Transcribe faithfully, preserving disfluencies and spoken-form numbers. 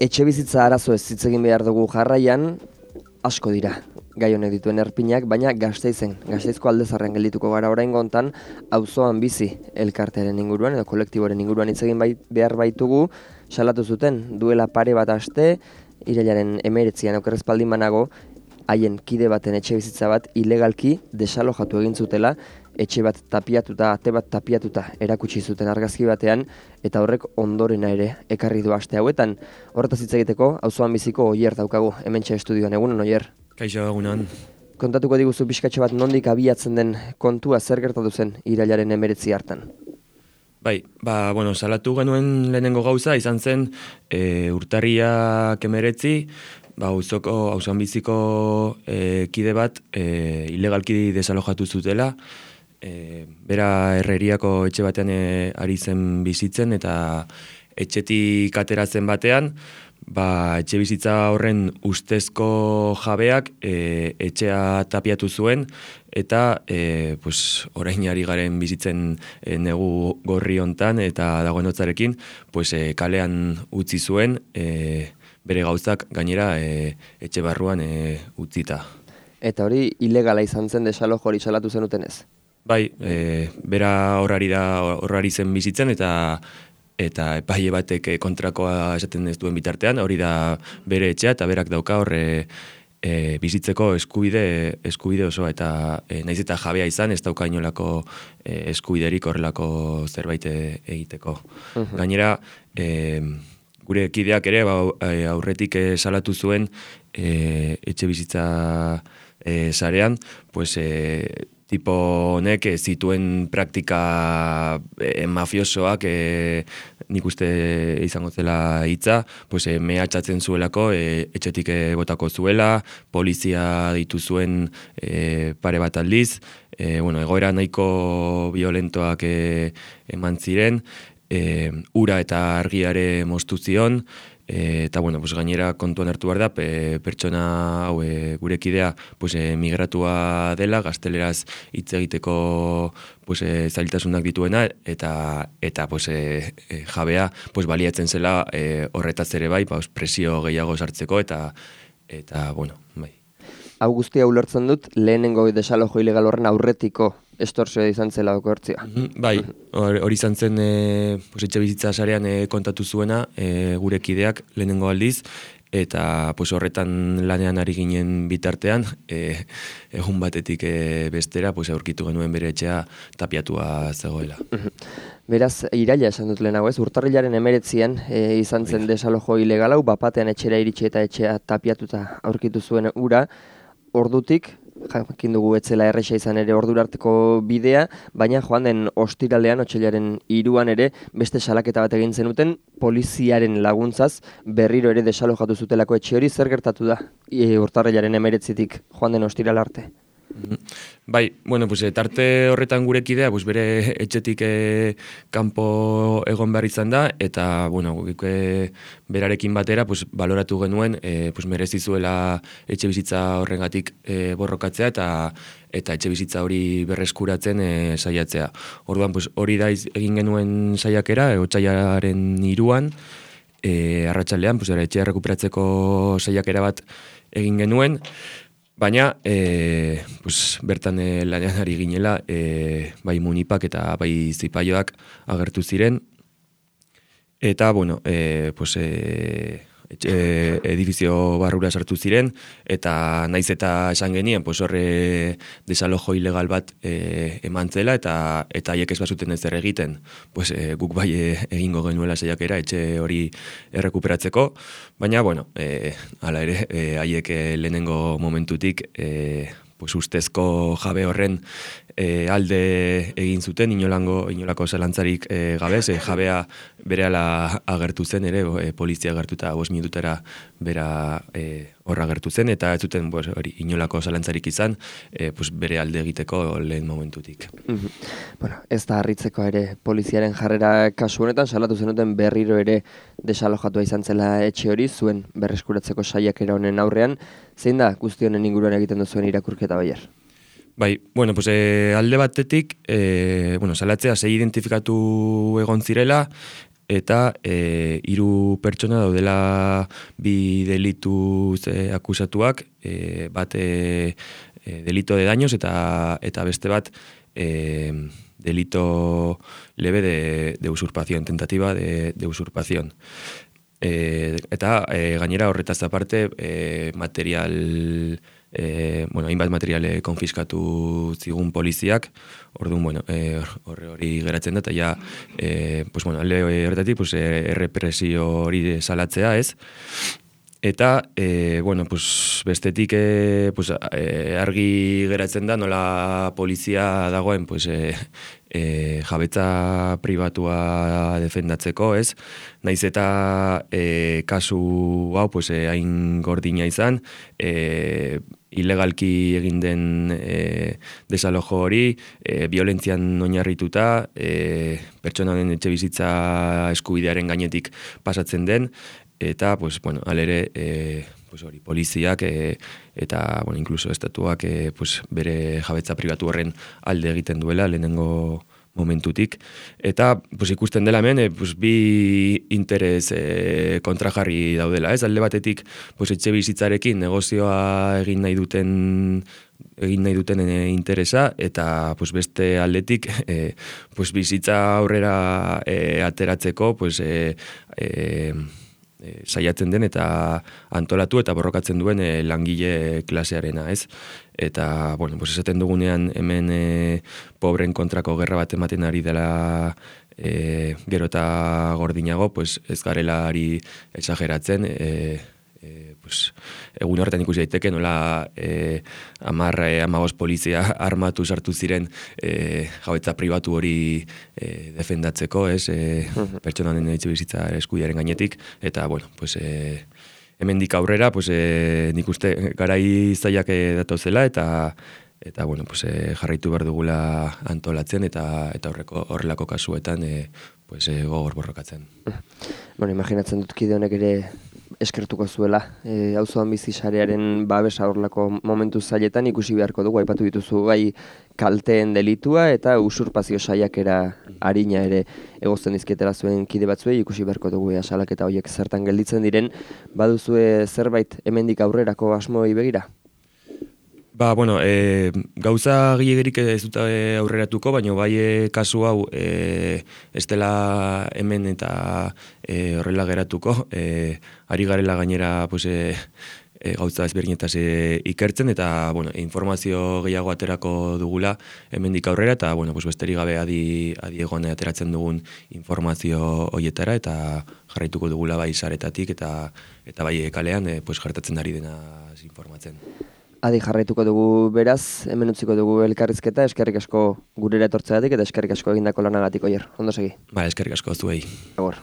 Etxe bizitza arazo ez hitz egin behar dugu jarraian, asko dira gai honek dituen erpinak, baina Gasteizen, Gasteizko Aldezarrean geldituko gara oraingo hontan, auzoan bizi elkartearen inguruan edo kolektiboren inguruan hitz egin bai, behar baitugu, salatu zuten duela pare bat aste, irailaren hemeretzian okerrezpaldin banago, haien kide baten etxe bizitza bat ilegalki desalojatu egin zutela, etxe bat tapiatuta, ate bat tapiatuta erakutsi zuten argazki batean, eta horrek ondorena ere ekarri du aste hauetan. Horretaz hitz egiteko, auzoan biziko Oier daukagu, hementxe estudioan. Egunon, Oier? Kaixo, egunon. Kontatuko diguzu pixkatxo bat nondik abiatzen den kontua, zer gertatu zen irailaren hemeretzi hartan? Bai, ba, bueno, salatu genuen lehenengo gauza, izan zen e, urtarriak hemeretzi, ba, auzoko, auzoan biziko e, kide bat e, ilegalki desalojatu zutela, e, bera herreriako etxe batean e, ari zen bizitzen, eta etxetik ateratzen batean, ba, etxe bizitza horren ustezko jabeak e, etxea tapiatu zuen, eta e, pues, orain ari garen bizitzen e, negu gorri hontan eta dagoen hotzarekin, pues, e, kalean utzi zuen, e, bere gauzak gainera e, etxe barruan e, utzita. Eta hori ilegala izan zen desalojo hori salatu zenuten ez? Bai, e, bera horrari da horrari zen bizitzen, eta eta epaile batek kontrakoa esaten ez duen bitartean, hori da bere etxea, eta berak dauka horre e, bizitzeko eskubide eskubide osoa, eta e, naiz eta jabea izan, ez dauka inolako e, eskubiderik horrelako zerbait egiteko. Uh-huh. Gainera, e, gure kideak ere ba, aurretik salatu zuen e, etxe bizitza e, sarean, pues e, tipo honek zituen praktika e, mafiosoak, e, nik uste izango zela hitza, pues, e, mehatxatzen zuelako, e, etxetik e, botako zuela, polizia ditu zuen e, pare bat aldiz, e, bueno, egoera nahiko violentoak e, eman ziren, e, ura eta argiare moztu zion, E, eta bueno, pues, gainera kontuan hartu behar da, pe, pertsona hau e, gure kidea pues, e, migratua dela, gazteleraz hitz egiteko pues, e, zailtasunak dituena, eta eta pues, e, e, jabea pues, baliatzen zela e, horretaz ere bai, pues, presio gehiago sartzeko, eta eta bueno, bai. Hau guztia ulertzen dut, lehenengo desalojo ilegal horren aurretiko estorsioa izan zela doko hortzia. Bai, hori izan zen e, pues, etxe bizitza sarean e, kontatu zuena e, gure kideak lehenengo aldiz, eta pues, horretan lanean ari ginen bitartean, e, egun batetik e, bestera pues, aurkitu genuen bere etxea tapiatua zegoela. Beraz, iraila esan dut lehenago ez, urtarrilaren hemeretzian e, izan zen desalojo ilegal hau, bapatean etxera iritsi eta etxea tapiatuta aurkitu zuen ura, ordutik, jakin dugu etzela erresa izan ere ordura arteko bidea, baina joan den ostiralean, otsailaren hiruan ere, beste salaketa bat egin zenuten, poliziaren laguntzaz berriro ere desalojatu zutelako etxe hori. Zer gertatu da e, urtarrilaren hemeretzitik joan den ostiral arte? Bai, bueno, pues, tarte horretan gure kidea, pues, bere etxetik e, kanpo egon behar izan da, eta bueno, e, berarekin batera pues, baloratu genuen e, pues, merezizuela etxe bizitza horrengatik e, borrokatzea, eta eta etxe bizitza hori berreskuratzen e, saiatzea. Orduan, pues, hori da egin genuen saiakera, e, otsailaren hiruan, e, arratsaldean, pues, etxea rekuperatzeko saiakera bat egin genuen, baina e, pues, bertan e, lanean ari ginela, e, bai munipak eta bai zipaioak agertu ziren, eta bueno, e, pues, e, e, edifizio barrura sartu ziren, eta naiz eta esan genien, pues, horre desalojo ilegal bat e, eman zela, eta eta haiek ez bazuten ezer egiten, pues, e, guk bai e, egingo genuela saiakera etxe hori errekuperatzeko, baina, bueno, e, hala ere, e, haiek e, lehenengo momentutik e, pues, ustezko jabe horren e, alde egin zuten, inolango, inolako zalantzarik e, gabe, ze jabea berehala agertu zen ere, e, polizia agertu eta bost minutera bera e, horra agertu zen, eta ez zuten pues, hori, inolako zalantzarik izan, e, pues, bere alde egiteko lehen momentutik. Mm-hmm. Bueno, ez da harritzeko ere poliziaren jarrera kasu honetan, salatu zenuten berriro ere desalojatua izan zela etxe hori, zuen berreskuratzeko saiakera honen aurrean. Zein da guzti honen inguruan egiten duzuen irakurketa, Baier? Bai, bueno, pues, e, alde batetik, e, bueno, salatzea sei identifikatu egon zirela, eta e, hiru pertsona daudela bi delituz e, akusatuak, e, bat e, e, delito de daños eta eta beste bat e, delito leve de, de usurpación, tentativa de, de usurpación. E, eta e, gainera horretaz aparte e, material, e, bueno, hainbat materiale konfiskatu zigun poliziak, orduan, bueno, e, horre hori geratzen da, eta ja, e, pues, bueno, alde horretatik, pues, e, errepresio hori salatzea, ez? Eta, e, bueno, pues, bestetik e, pues, e, argi geratzen da, nola polizia dagoen, pues, e, e, jabetza pribatua defendatzeko, ez? Naiz eta e, kasu hau, pues, e, hain gordina izan, e, ilegalki egin den e, desalojo hori, e, violentzian oinarrituta, e, pertsona den etxe bizitza eskubidearen gainetik pasatzen den, eta, pues, bueno, alere, e, pues, hori, poliziak e, eta, bueno, incluso estatuak e, pues, bere jabetza pribatu horren alde egiten duela, lehenengo momentutik. Eta, pues, ikusten dela hemen, e, pues, bi interes e, kontrajarri daudela, ez? Alde batetik, pues, etxe bizitzarekin negozioa egin nahi duten egin nahi duten e, interesa, eta pues, beste aldetik e, pues, bizitza aurrera e, ateratzeko, pues, e, e, E, saiatzen den eta antolatu eta borrokatzen duen e, langile klasearena, ez? Eta, bueno, pues esaten dugunean hemen e, pobren kontrako gerra bat ematen ari dela e, gero eta gordinago, pues ez garela ari exageratzen, e, e, pues, egun horretan ikusi daiteke nola e, amar, e, amagos polizia armatu sartu ziren e, jabetza pribatu hori e, defendatzeko, ez, e, pertsonanen etxe bizitza eskubidearen gainetik, eta, bueno, pues, e, hemendik aurrera, pues, e, nik uste garai zailak datozela, eta eta, bueno, pues, e, jarraitu behar dugula antolatzen, eta eta horreko horrelako kasuetan e, pues, e, gogor borrokatzen. Bueno, imaginatzen dut kide honek ere eskertuko zuela, e, auzoan bizi sarearen babesa horlako momentu zailetan ikusi beharko dugu, aipatu dituzu bai kalteen delitua eta usurpazio saiakera arina ere egozten dizkietela zuen kide batzuei ikusi beharko dugu ea salaketa horiek zertan gelditzen diren, baduzue zerbait hemendik aurrerako asmoei begira? Ba, bueno, e, gauza gilegerik ez dut aurreratuko, baina bai e, kasu hau e, ez dela hemen eta e, horrela geratuko. E, ari garela gainera pues, e, e, gauza ezberdinetaz e, ikertzen, eta bueno, informazio gehiago aterako dugula hemendik aurrera, eta bueno, pues, besterik gabe adi, adi egon ateratzen dugun informazio hoietara, eta jarraituko dugula bai saretatik, eta, eta bai kalean e, pues, gertatzen ari dena informatzen. Adi jarraituko dugu beraz, hemen utziko dugu elkarrizketa, eskerrik asko gurera etortzeagatik eta eskerrik asko egindako lanagatik, Oier. Ondo segi. Ba, eskerrik asko zuei. Agor.